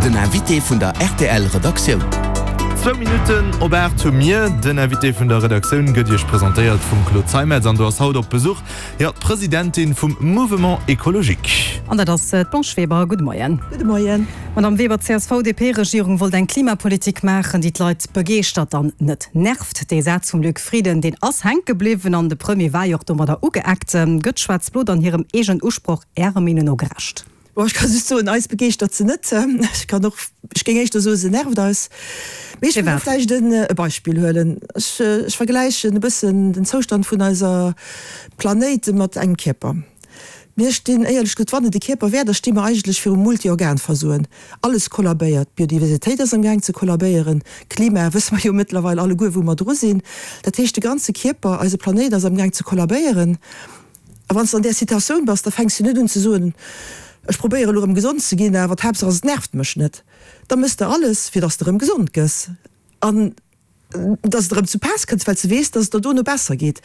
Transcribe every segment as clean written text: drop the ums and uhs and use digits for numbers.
Den Invité vun der rtl Redaktioun. Zwou Minutten op 8 hu mir. Den Invité vun der Redaktioun gëtt Iech presentéiert vum Claude Zeimetz an do ass haut op Besuch, jo, d'Presidentin vum Mouvement Ecologique. An dat ass d'Blanche Weber. Gudde Moien. Gudde Moien. Madame Weber, d'CSV-DP-Regierung wollt eng Klimapolitik maachen, déi d'Leit begeeschtert an net nervt. Dee Saz vum Luc Frieden, deen ass hänke bliwwen an de Premier war jo och domadder ugeeckt. Gëtt Schwaarz-Blo dann hirem eegenen Usproch Ärer Meenung no gerecht? Bon, ech ka just soen, eis begeeschtert se net. Ech kann och, ech géing éischter soen, se nervt eis. Mee ech wëll vläicht e Beispill huelen. Ech, ech vergläichen e bëssen den Zoustand vun eiser Planéit mat engem Kierper. Mir stinn, éierlech gesot, wann et e Kierper wär, da sti mer eigentlech virum Multiorganversoen. Alles kollabéiert. D'Biodiversitéit ass amgaang ze kollabéieren. Klima wësse mer jo mëttlerweil alleguer, wou mer dru sinn. Dat heescht, de ganze Kierper, eise Planéit ass amgaang ze kollabéieren. A wann s de an där Situatioun bass, da fänks du net un ze soen, ech probéiere elo erëm gesond ze ginn, awer d'Haaptsaach ass, et nervt mech net. Da méchs de alles, fir dass de erëm gesond gëss an dass et erëm zu Paass kënns, well s de weess, dass et der dono besser geet.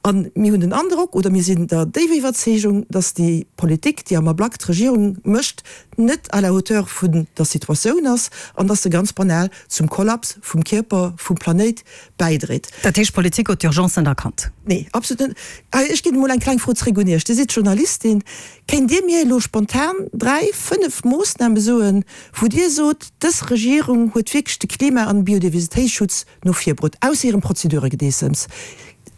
A mir hunn den Androck, oder mir sinn der déiwer Iwwerzeegung, dass déi Politik, déi am Ablack d'Regierung mécht, net à la hauteur vun der Situatioun ass an dass se ganz banal zum Kollaps vum Kierper vum Planéit bäidréit. Dat heescht, d'Politik huet d'Urgence net erkannt? Nee, absolut net. Ech ginn emol eng kleng Fro zréck un Iech. Dir sidd Journalistin. Kéint Dir mir elo spontan dräi, fënnef Moossname soen, wou Dir sot, dës Regierung huet wierklech de Klima an Biodiversitéitsschutz no vir bruet, ausser hirem Prozeduregedeessems?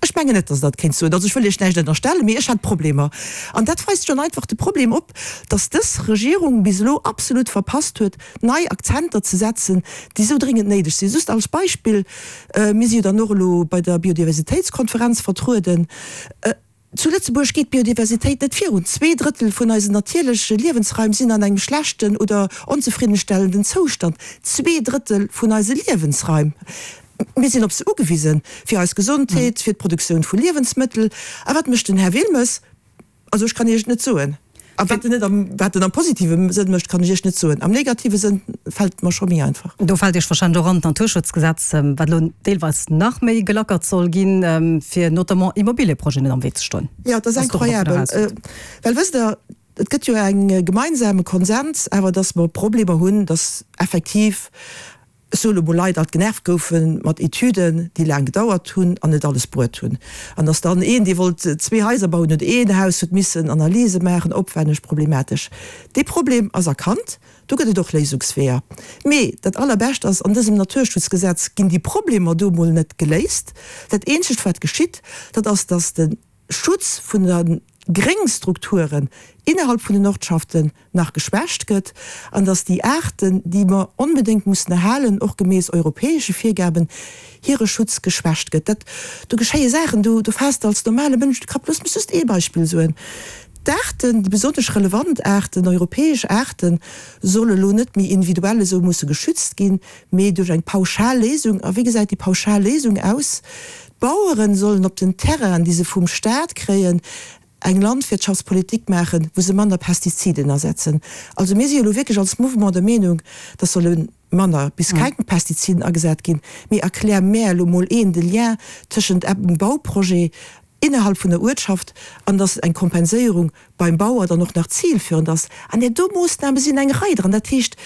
Ech mengen net, datt Der dat kéint soen. Also ech wëll Iech näischt ënnerstellen, mee ech hätt Problemer. An dat weist schonn einfach de Problem op, datt dës Regierung bis elo absolut verpasst huet, nei Akzenter ze setzen, déi esou dringend néideg sinn. Just als Beispill, Mir si jo dann och elo bei der Biodiversitéitskonferenz vertrueden. Zu Lëtzebuerg geet d'Biodiversitéit net virun. Zweedrëttel vun eisen natierleche Liewensraim sinn an engem schlechten oder onzefriddenstellenden Zoustand. Zweedrëttel vun eise Liewensraim! Mir sinn op se ugewisen, fir eis Gesondheet, fir d'Produktioun vu Liewensmëttel. A wat mécht den Här Wilmes? Also ech kann Iech et net soen. A wat en net am, wat en am positive Sënn mécht, kann ech Iech net soen. Am negative Sënn fält et mer scho méi einfach. Do fält Iech wahrscheinlech och an d'Naturschutzgesetz, wat elo deelweis nach méi gelackert soll ginn, fir notamment Immobilieprojeten net am Wee ze stoen. Jo, et ass incroyabel. Well wësst Der, et gëtt jo e gemeinsame Konsens awer, datt mer Problemer hunn, datt effektiv Ech soe lo mol Leit alt genervt goufe mat Etüden, déi laang gedauert hunn an net alles bruet hunn. An dass dann een, dee wollt zwee Haiser bauen oder een Haus, huet missen Analyse maachen, opwänneg, problematesch. Dee Problem ass erkannt, do gëtt et och Léisungsweeër. Mee dat Allerbescht ass, an dësem Naturschutzgesetz ginn déi Problemer do mol net geléist. Dat eenzegt wat geschitt, dat ass, dass de Schutz vun de Gréngstrukturen innerhalb vun den Ortschaften nach geschwächt gëtt an dass déi Aarten, déi mer onbedéngt mussen erhalen, och gemäss europäesche Virgaben, hire Schutz geschwächt gëtt. Dat, do geschéie Saachen, do, do faasst de als normale Mënsch de Kapp. Loosst mech just ee Beispill soen, D'Aarten, déi besonnesch relevant Aarten, europäesch Aarten, solle elo net méi individuell esou musse geschützt ginn, mee duerch eng pauschal Léisung. A wéi gesäit déi pauschal Léisung aus? D'Baueren sollen op den Terrainen, déi se vum Staat kréien, eng Landwirtschaftspolitik maachen, wou se manner Pestiziden asetzen. Also mir si jo elo wierklech als Mouvement der Meenung, dass solle manner bis keng Pestiziden agesat ginn. Mee erklär mär elo mol een de Lien tëschent engem Bauprojet innerhalb vun der Uertschaft an dass eng Kompenséierung beim Bauer dann och nach zilführend ass. An där do Moossname sinn eng Rei dran. Dat heescht,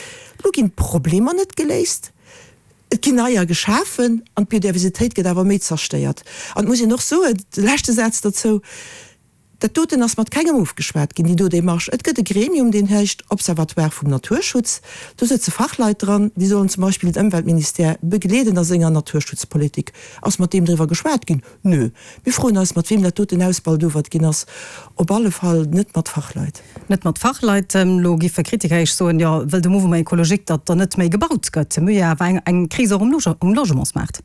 elo ginn d'Problemer net geléist. Et ginn neier geschafen an d'Biodiversitéit gëtt awer méi zerstéiert. An et muss een och soen, de leschte Saz derzou, Dat doten ass mat kengem ofgeschwat ginn, déi do Démarche. Et gëtt e Gremium, deen heescht Observatoire vum Naturschutz. Do sëtze Fachleit dran, déi sollen zum Beispill den Ëmweltministère begleeden a senger Naturschutzpolitik. Ass mat deem driwwer geschwat ginn? Nö. Mir froen eis, mat weem dat doten ausbaldowert ginn ass. Op alle Fall net mat Fachleit. Net mat Fachleit. Elo giffe Kritiker Iech soen, jo, wëll de Mouvement écologique, datt der net méi gebaut gëtt. Mir hu jo awer eng Kris och um Logementsmaart.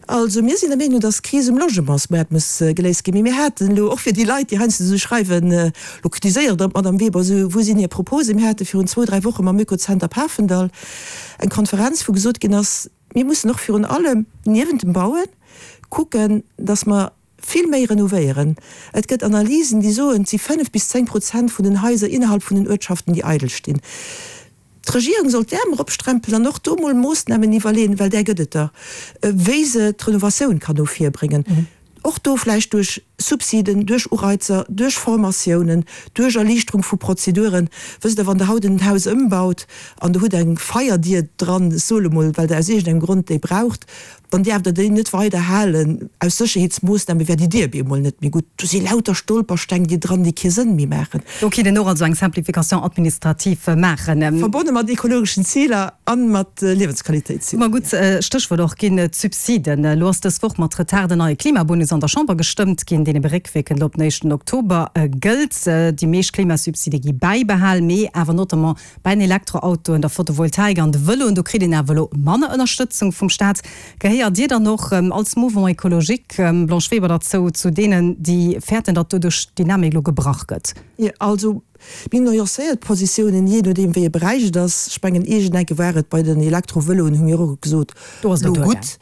Also mir sinn der Meenung, datt d'Kris um Logementsmaart muss geléist ginn. Mee mir haten elo, och fir déi Leit, déi heiansdo esou schreiwen, elo kritiséiert Der d'Madame Weber esou, wou sinn hir Proposen? Mir hate virun zwou, dräi Woche mam Oekozenter Pafendall eng Konferenz, wou gesot ginn ass, mir mussen och virun allem niewent dem Bauen kucken, datt mer Vill méi renovéieren. Et gëtt Analysen, déi soen, et si 5 bis 10 Prozent vun den Haiser innerhalb vun den Uertschaften, déi eidel stinn. D'Regierung soll d'Äerm eropsträmpelen an och do mol Moossnamen iwwerleeën, well där gëtt et der, wéi se d'Renovatioun kann no vir bréngen. Och do vläicht duerch. Subsiden, duerch Ureizer, duerch Formatiounen, duerch Erliichterung vu Prozeduren. Wësst Der, wann Der haut en Haus ëmbaut an Der hutt eng Feierdier dran, ech soe lo mol, well Der aus iergendengem Grond déi braucht, dann däerft Der déi net weider halen. Aus Sécherheetsmoossname wär déi Dier bemol net méi gutt. Do si lauter Stolpersteng déi dran, déi kee Sënn méi maachen. Do kinnt een och also eng Simplification administrative maachen. Verbonne mat ekologeschen Ziler a mat Liewensqualitéitsziler. Ma gutt, Stéchwuert och ginn d'Subsiden. Elo ass dës Woch mat Retard en neie Klimabonus an der Chamber gestëmmt ginn, deen ebe réckwierkend op den éischten Oktober gëllt. Déi meescht Klimasubside gi bäibehal, mee awer notamment Bei den Elektroautoen, der Photovoltaik an de Vëloen, do kritt een awer elo manner Ënnerstëtzung vum Staat. Gehéiert Dir dann och als Mouvement écologique, Blanche Weber, derzou, zu deenen, déi fäerten, datt doduerch d'Dynamik elo gebrach gëtt? Jo, also mir hunn nuancéiert Positiounen, jee nodeem wéi e Beräich et ass. Ech mengen, iergendenke war et bei den Elektrovëloen, hu mir och gesot, elo gutt.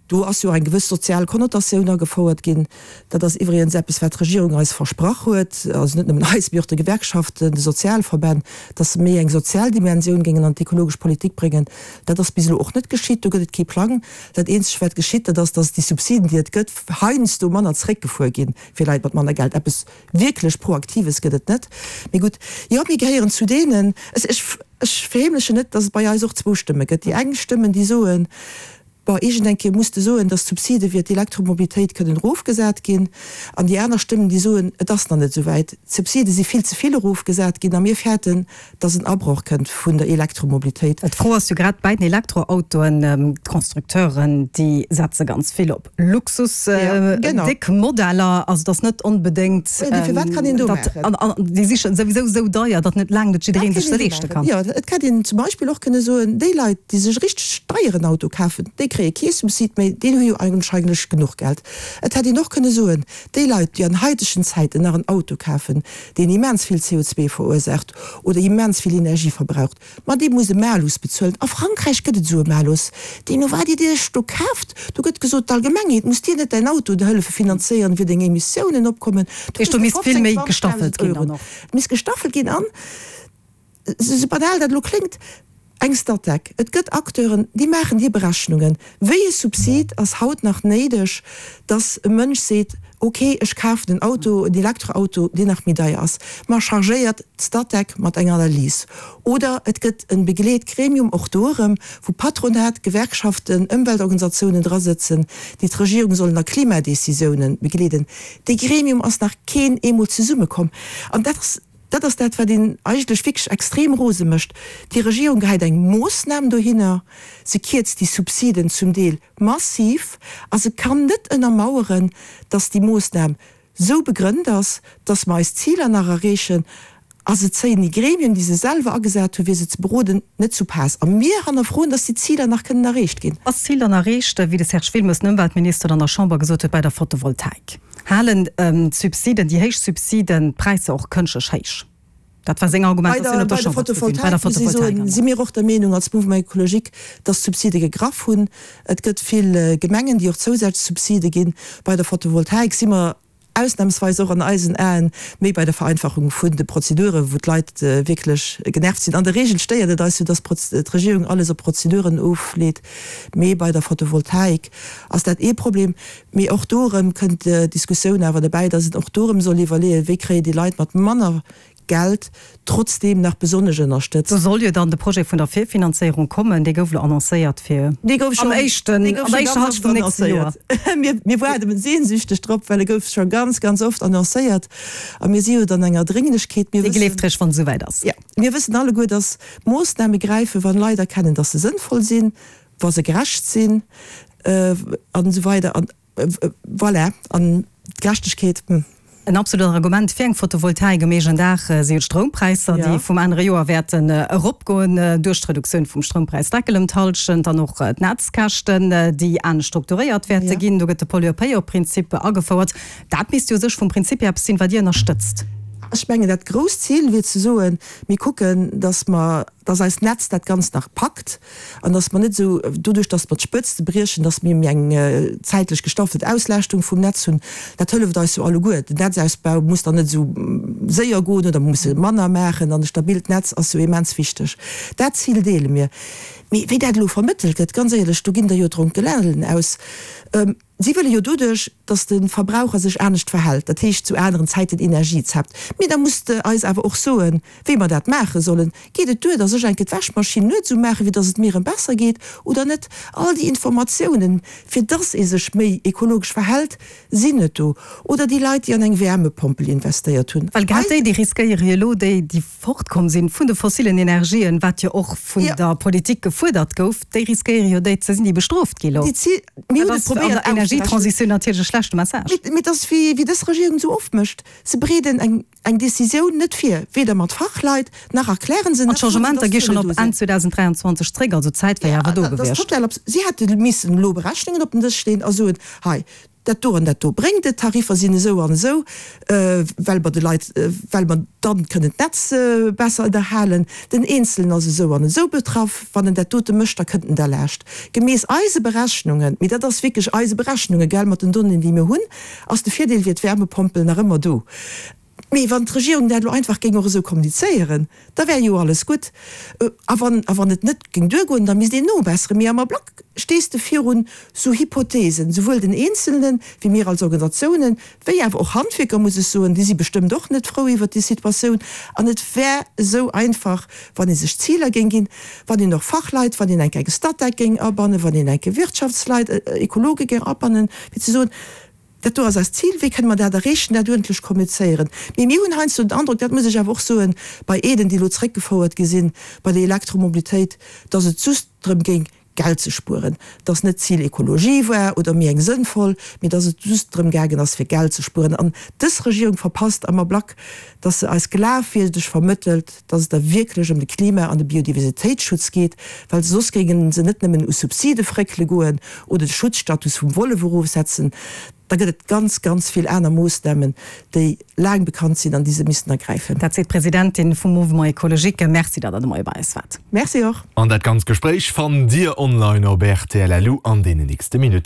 Do ass jo och eng gewëss sozial Konnotatioun agefouert ginn. Dat ass iwwregens eppes, wat d'Regierung eis versprach huet, also net nëmmen eis, mee och de Gewerkschaften, de Sozialverbänn, dass se méi eng sozial Dimensioun géingen an d'ekologesch Politik bréngen. Dat ass bis elo och net geschitt. Do gëtt et kee Plang. Dat eenzegt, wat geschitt, dat ass, dass déi Subsiden, déi et gëtt, heiansdo manner zeréckgefuer ginn fir Leit mat manner Geld. Eppes wierklech Proaktives gëtt et net. Mee gutt, jo, mir gehéieren zu deenen, ech, ech verheemlechen net, dass et bei eis och zwou Stëmme gëtt. Déi eng Stëmmen, déi soen, Bon, iergend eng Kéier muss de soen, dass d'Subside fir d'Elektromobilitéit kënnen erofgesat ginn. An déi aner Stëmmen, déi soen, et ass nach net esou wäit, d'Subside si vill ze vill erofgesat ginn a mir fäerten, dass en Abroch kënnt vun der Elektromobilitéit. D'Fro ass jo grad bäi den Elektroautoen, d'Constructeuren, déi setze ganz vill op Luxus, déck Modeller. Also et ass net onbedéngt, datt, an déi si souwisou esou deier, datt net laang net jidderee sech se leeschte kann. Jo, et hätt een zum Beispill och kënne soen, déi Leit, déi sech e richteg deieren Auto kafen, déi kréie kee Subsid méi, déi hu jo eigenscheinlech genuch Geld. Et hätt een och kënne soen, déi Leit, déi an haitegen Zäiten nach en Auto kafen, deen immens vill CO2 verursaacht oder immens vill Energie verbraucht, Ma dee muss e Malus bezuelen. A Frankräich gëtt et esou e Malus. Deemno wat Dir Iech do kaaft, do gëtt gesot, d'Allgemengheet muss dir net däin Auto hëllefe finanzéieren, fir deng Emissiounen opkommen. Do kriss de 15, 20.000 Euro. Et misst gestaffelt ginn an, esou banal dat elo kléngt, eng Statec. Et gëtt Acteuren, déi maachen hir Berechnungen. Wéi e Subsid ass haut nach néideg, dass e Mënsch seet, ok, ech kafen en Auto, en Elektroauto, deen nach méi deier ass, ma chargéiert d'Statec mat enger Analys. Oder et gëtt e Begleetgremium, och do erëm, wou Patronat, Gewerkschaften, Ëmweltorganisatiounen drasëtzen, déi d'Regierung sollen a Klimadécisiounen begleeden. Dee Gremium ass nach keen eemol zesummekomm. An dat ass, dat ass dat, wat een eigentlech wierklech extrem rose mécht. Déi Regierung gehäit eng Moossnam dohinner, se kierzt déi Subsiden zum Deel massiv a se kann net ënnermaueren, dass déi Moossnam esou begrënnt ass, dass mer eis Ziler nach erreechen, a se zéien déi Gremien, déi se selwer agesat hunn, fir se ze beroden, net zu Paass. A mir hannerfroen, dass déi Ziler nach kënnen erreecht ginn. Ass d'Zil dann erreecht, wéi de Serge Wilmes, den Ëmweltminister, an der Chamber gesot huet, bei der Photovoltaik halen d'Subsiden, déi héich Subsiden, d'Präisser och kënschtlech héich? Dat war seng Argumentatioun op der Chamberstribün. Bei der Photovoltaik, muss ech soen, si mir och der Meenung als Mouvement Écologique, dass d'Subside gegraff hunn. Et gëtt vill Gemengen, déi och zousätzlech Subside ginn. Bei der Photovoltaik si mer ausnamsweis och an eisen Aen méi bei der Vereinfachung vun de Prozeduren, wou d'Leit wierklech genervt sinn. An der Regel stéiert et eis jo, dass d'Regierung alles op Prozeduren ofleet. Mee bei der Photovoltaik ass dat ee Problem. Mee och do erëm kënnt d'Diskussioun awer derbäi, dass een och do erëm soll iwwerleeën, wéi kréien déi Leit mat manner Geld trotzdeem nach besonnesch ënnerstëtzt. Do soll jo dann de Projet vun der Virfinanzéierung kommen, dee gouf elo annoncéiert fir am éischten, an der éischter Hallschent vum nächste Joer. Mir waarde sehnsüchteg drop, well e gouf scho ganz, ganz oft annoncéiert a mir si jo dann enger Drénglechkeet. Dee gleeft réischt, wann et esouwäit ass. Jo, mir wëssen alleguer, dass Moossname gräifen, wann Leit erkennen, dass se sënnvoll sinn, wa se gerecht sinn an esou weider an voilà, an d'Gerechtegkeet, hm. En absolut Argument fir eng Photovoltaik um eegenen Daach si jo d'Stroumpräisser, déi vum anere Joer wäerten eropgoen duerch d'Reduktioun vum Stroumpräisdeckel ëm d'Hallschent an och d'Netzkäschten, déi anescht strukturéiert wäerte ginn. Do gëtt de Pollueur-Payeur-Prinzip agefouert. Dat misst jo u sech vum Prinzip hier eppes sinn, wat Dir ënnerstëtzt. Ech mengen, dat grousst Zil wier ze soen, mir kucken, datt mer. Dass eist Netz dat Ganzt nach packt an dass mer net esou, doduerch dass mer d'Spëtzte briechen, dass mir méi eng zäitlech gestaffelt Auslaaschtung vum Netz hunn, dat hëlleft eis jo alleguer. Den Netzausbau muss dann net esou séier goen oder mer musse manner maachen an e stabilt Netz ass jo immens wichteg. Dat Zil deele mir. Mee wéi dat elo vermëttelt gëtt, ganz éierlech, do ginn der jo d'Ronkelellen aus. Si wëlle jo doduerch, datt de Verbraucher sech anescht verhält, dat heescht zu aneren Zäiten Energie zappt. Mee da musst de eis awer och soen, wéi mer dat maache sollen. Geet et duer, datt ech enke d'Wäschmaschinn nuets umaachen, fir datt et mir erëm besser geet, oder net? All déi Informatiounen, fir datt ee sech méi ekologesch verhält, sinn net do. Oder déi Leit, déi an eng Wärmepompel investéiert hunn. Well grad déi, déi riskéiere jo elo, déi, déi fortkomm sinn vun de fossilen Energien, wat jo och vun der Politik gefuerdert gouf, déi riskéiere jo déi ze sinn, déi bestrooft gi lo. Mir hunn et probéiert auszerechnen. Energietransition natierlech e schlechte Message. Mee et ass wéi dës Regierung esou oft mécht, se bereeden eng eng Decisioun net vir, weder mat Fachleit, nach erklären se, An nach soen se, d'Changementer dass gi schonn Zuele op do Enn sinn. 2023 zréck, also d'Zäit wär jo awer do Dat ass gewiescht. total abs. Si hätte missen elo Berechnungen op den Dësch leeën a soen, hei, Dat do an dat do bréngt et, d'Tariffer sinn esou an esou, well mer de Leit, well mer dann kënnen d'Netz besser ënnerhalen. Den Eenzelen ass esou an esou betraff, wann en dat dote mécht, da kënnt en derlaascht. Gemäss eise Berechnungen, mee dat ass wierklech eise Berechnungen, gell, mat den Donnéeën, déi mir hunn, ass de Virdeel fir d'Wärmepompel nach ëmmer do. Mee wann d'Regierung dat elo einfach géing och esou kommunizéieren, da wär jo alles gutt. A wann, a wann et net géing duergoen, da misst een nobesseren. Mee am Ablack stees de virun esou Hypothesen, souwuel den Eenzelnen, wéi mir als Organisatiounen, wéi awer och Handwierker, muss ech soen, déi si bestëmmt och net frou iwwert déi Situatioun. An et wär esou einfach, wann ee sech Ziler géing ginn, wann een och Fachleit, wann een enk eng Statec géing abannen, wann een enke Wirtschaftsleit, Ekologe géing abannen, fir ze soen, Dat do ass eist Zil, wéi kënne mer dat erreechen, dat uerdentlech kommunizéieren. Mee mir hunn heiansdo den Androck, dat muss ech awer och soen, bei Aiden, déi elo zréckgefouert gi sinn, bei der Elektromobilitéit, dass et just drëm géing, Geld ze spueren, dass net d'Zil Ekologie war oder méi eng sënnvoll, mee dass et just drëm gaangen ass, fir Geld ze spueren. An dës Regierung verpasst am Ablack, dass se eis glafwierdeg vermëttelt, dass et der wierklech ëm de Klima an de Biodiversitéitsschutz geet, well soss géinge se net nëmmen u Subside fréckele goen oder de Schutzstatus vum Wollef erofsetzen. Da gëtt et ganz, ganz vill aner Moossnamen, déi laang bekannt sinn an déi se missten ergräifen. Dat seet d'Presidentin vum Mouvement Ecologique. Merci, datt Der de Moie bei eis waart. Merci och. An dat ganzt Gespréich fannt Dir online op rtl.lu an deenen nächste Minutten.